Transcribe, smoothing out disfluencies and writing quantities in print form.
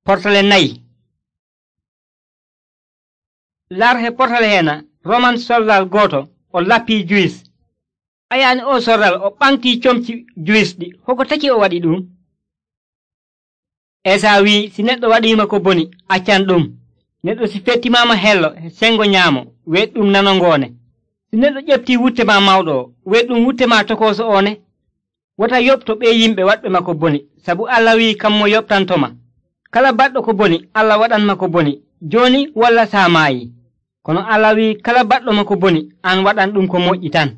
Portale nayi. Larhe portale hena Roman soldal goto o lappi Juwis. Ayaani o soldal o ɓaŋti comci Juwis ɗi hoko taki o waɗi ɗum. Esa wi si neɗɗo waɗima ko boni accan ɗum. Neɗɗo si fettimama hello sengo nyaamo weɗɗum nanongone. Si neɗɗo ƴefti wutte ma mawɗo o weɗɗum wutte ma tokoso one. Wota yoɓto ɓe yimɓe waɗɓe ma ko boni sabu Allah wi kammo yoɓtantoma. Kala baɗɗo ko boni Allah waɗanma ko boni joni walla sa maayi. Kono Allah wi kala baɗɗo ma ko boni an waɗan ɗum ko moƴƴi tan.